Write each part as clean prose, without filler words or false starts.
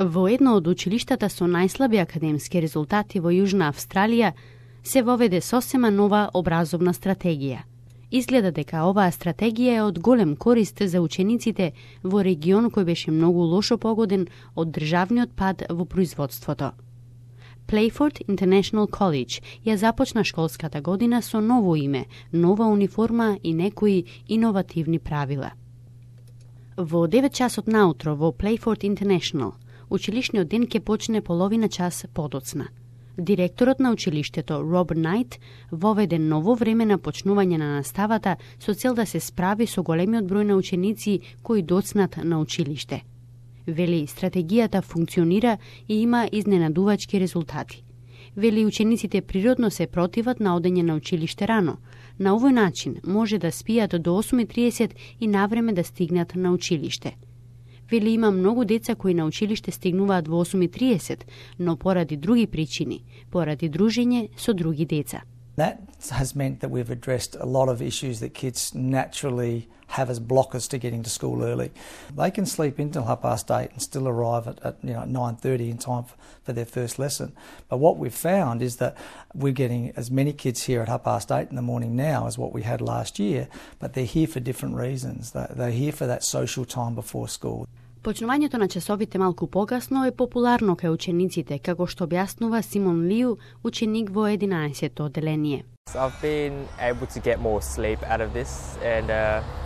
Во едно од училиштата со најслаби академски резултати во Јужна Австралија се воведе сосема нова образовна стратегија. Изгледа дека оваа стратегија е од голем корист за учениците во регион кој беше многу лошо погоден од државниот пад во производството. Playford International College ја започна школската година со ново име, нова униформа и некои иновативни правила. Во 9 часот наутро во Playford International, училишниот ден ќе почне половина час подоцна. Директорот на училиштето Роб Најт воведе ново време на почнување на наставата со цел да се справи со големиот број на ученици кои доцнат на училиште. Вели, стратегијата функционира и има изненадувачки резултати. Вели, учениците природно се противат на одење на училиште рано. На овој начин може да спијат до 8:30 и навреме да стигнат на училиште. Вели, има многу деца кои на училиште стигнуваат во 8:30, но поради други причини, поради дружење со други деца. That has meant that we've addressed a lot of issues that kids naturally have as blockers to getting to school early. They can sleep until 8:30 and still arrive at 9:30 in time for their first lesson. But what we've found is that we're getting as many kids here at 8:30 in the morning now as what we had last year, but they're here for different reasons. They're here for that social time before school. Почнувањето на часовите малку покасно е популарно кај учениците, како што објаснува Симон Лиу, ученик во 11-то одделение. I've been able to get more sleep out of this, and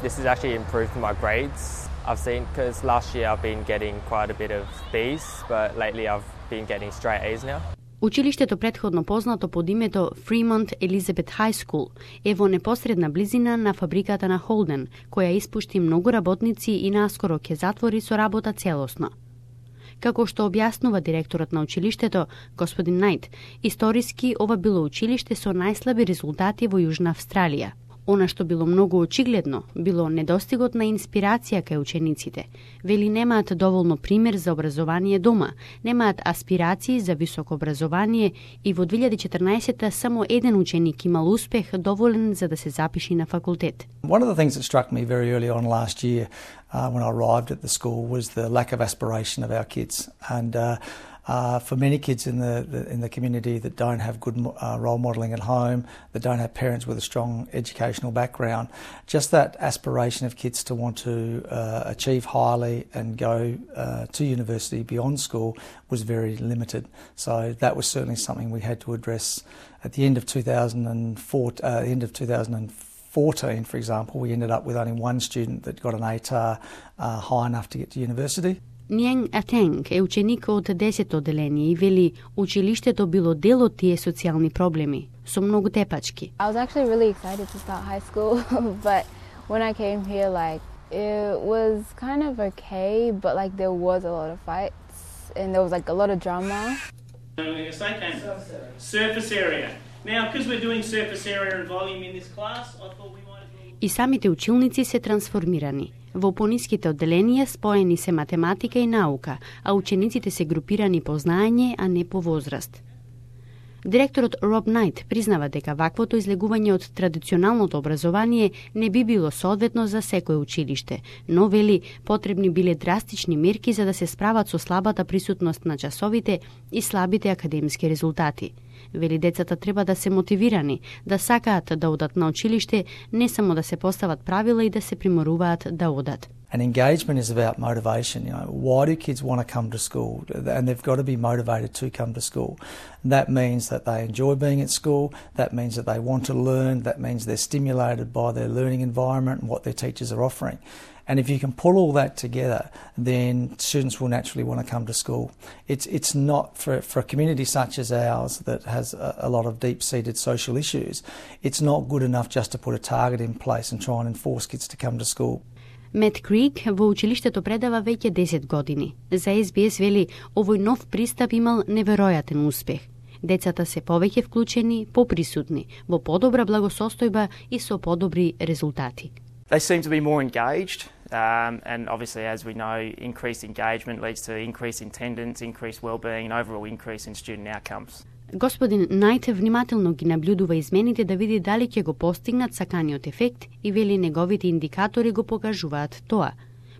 this has actually improved my grades. I've seen, because last year I've been getting quite a bit of B's, but lately I've been getting straight A's now. Училиштето претходно познато под името Fremont Elizabeth High School е во непосредна близина на фабриката на Холден, која испушти многу работници и наскоро ќе затвори со работа целосно. Како што објаснува директорот на училиштето, господин Најт, историски ова било училиште со најслаби резултати во Јужна Австралија. Она што било многу очигледно, било недостигот на инспирација кај учениците. Вели, немаат доволно пример за образование дома, немаат аспирации за високо образование и во 2014 само еден ученик имал успех доволен за да се запиши на факултет. One of the things that struck me very early on last year when I arrived at the school was the lack of aspiration of our kids, and for many kids in the community that don't have good role modelling at home, that don't have parents with a strong educational background, just that aspiration of kids to want to achieve highly and go to university beyond school was very limited. So that was certainly something we had to address at the end of 2014, for example. We ended up with only one student that got an ATAR high enough to get to university. Нијанг Атенг е ученик од 10-то одделение и вели, училиштето било дел од тие социјални проблеми, со многу тепачки. I was actually really excited to start high school, but when I came here, it was kind of okay, but there was a lot of fights and there was a lot of drama. Surface area. Now, because we're doing surface area and volume in this class, I thought we might as well... И самите училници се трансформирани. Во пониските одделенија споени се математика и наука, а учениците се групирани по знаење, а не по возраст. Директорот Роб Најт признава дека ваквото излегување од традиционалното образование не би било соодветно за секое училиште, но вели, потребни биле драстични мерки за да се справат со слабата присутност на часовите и слабите академски резултати. Вели, децата треба да се мотивирани, да сакаат да одат на училиште, не само да се постават правила и да се приморуваат да одат. And engagement is about motivation. Why do kids want to come to school? And they've got to be motivated to come to school. That means that they enjoy being at school. That means that they want to learn. That means they're stimulated by their learning environment and what their teachers are offering. And if you can pull all that together, then students will naturally want to come to school. It's not for a community such as ours that has a lot of deep-seated social issues. It's not good enough just to put a target in place and try and enforce kids to come to school. Мет Крик во училиштето предава веќе 10 години. За SBS вели, овој нов пристап имал неверојатен успех. Децата се повеќе вклучени, поприсутни, во подобра благосостојба и со подобри резултати. They seem to be more engaged, and obviously, as we know, increased engagement leads to increased attendance, increased well-being, and overall increase in student outcomes. Господин Најт внимателно ги наблюдува измените да види дали ќе го постигнат саканиот ефект и вели неговите индикатори го покажуваат тоа.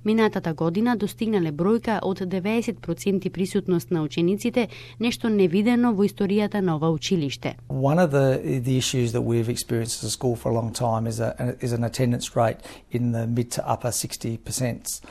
Минатата година достигнале бројка од 90% присутност на учениците, нешто невидено во историјата на ова училиште. One of the issues that we've experienced as a school for a long time is an attendance rate in the mid to upper 60%.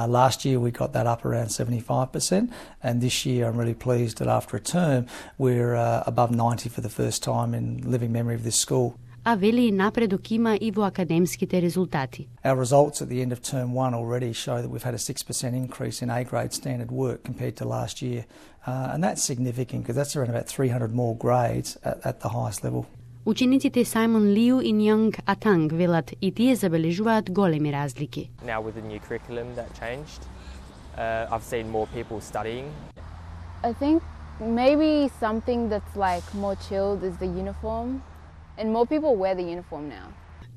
Last year we got that up around 75%, and this year I'm really pleased that after a term we're above 90 for the first time in living memory of this school. А вели напредок има и во академските резултати. Our results at the end of term 1 already show that we've had a 6% increase in A-grade standard work compared to last year. And that's significant because that's around about 300 more grades at the highest level. Учениците Сајмон Лиу и Нјонг Атанг велат и тие забележуваат големи разлики. Now with the new curriculum that changed, I've seen more people studying. I think maybe something that's like more chilled is the uniform, and more people wear the uniform now.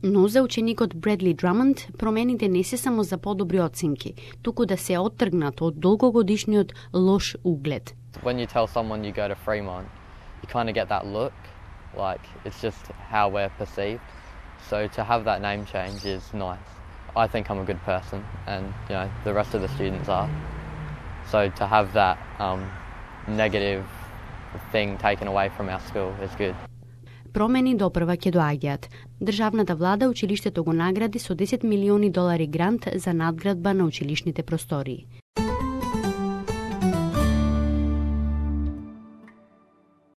Но за ученикот Бредли Драмонд промените не се само за подобри оценки, туку да се оттргнат од долгогодишниот лош углед. When you tell someone you go to Fremont, you kind of get that look, like it's just how we're perceived. So to have that name change is nice. I think I'm a good person, and you know the rest of the students are. So to have that negative thing taken away from our school is good. Промени допрва ќе доаѓаат. Државната влада училиштето го награди со $10 милиони грант за надградба на училишните простории.